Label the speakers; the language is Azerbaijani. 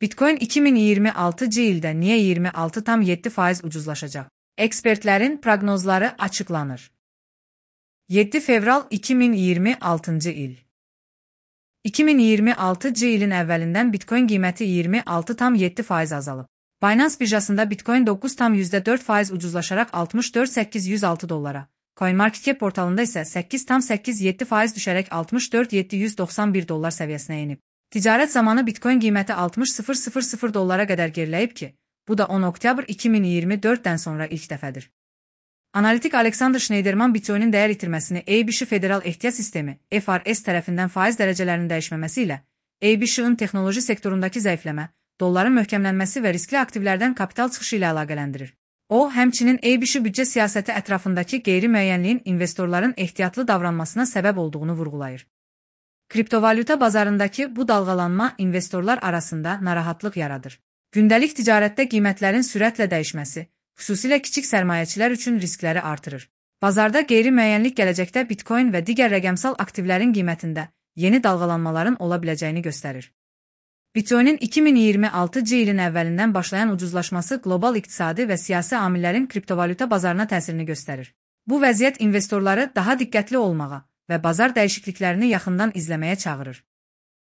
Speaker 1: Bitcoin 2026 ildə niyə 26,7% ucuzlaşacaq? Ekspertlərin proqnozları açıqlanır. 7 fevral 2026 il. 2026 ilin əvvəlindən Bitcoin qiyməti 26,7% azalıb. Binance birjasında Bitcoin 9,4% ucuzlaşaraq $64,806, CoinMarketCap portalında isə 8,87% düşərək $64,791 səviyyəsinə enib. Ticarət zamanı Bitcoin qiyməti $60,000 qədər geriləyib ki, bu da 10 oktyabr 2024-dən sonra ilk dəfədir. Analitik Alexander Schneiderman Bitcoinin dəyər itirməsini ABC Federal Ehtiyat Sistemi (FRS) tərəfindən faiz dərəcələrinin dəyişməməsi ilə ABC-ın texnoloji sektorundakı zəifləmə, dolların möhkəmlənməsi və riskli aktivlərdən kapital çıxışı ilə əlaqələndirir. O, həmçinin ABC büdcə siyasəti ətrafındakı qeyri-müəyyənliyin investorların ehtiyatlı davranmasına səbəb olduğunu vurğulayır. Kriptovalyuta bazarındakı bu dalğalanma investorlar arasında narahatlıq yaradır. Gündəlik ticarətdə qiymətlərin sürətlə dəyişməsi, xüsusilə kiçik sərmayəçilər üçün riskləri artırır. Bazarda qeyri-müəyyənlik gələcəkdə Bitcoin və digər rəqəmsal aktivlərin qiymətində yeni dalğalanmaların ola biləcəyini göstərir. Bitcoinin 2026 ilin əvvəlindən başlayan ucuzlaşması qlobal iqtisadi və siyasi amillərin kriptovalyuta bazarına təsirini göstərir. Bu vəziyyət investorları daha diqqətli olmağa və bazar dəyişikliklərini yaxından izləməyə çağırır.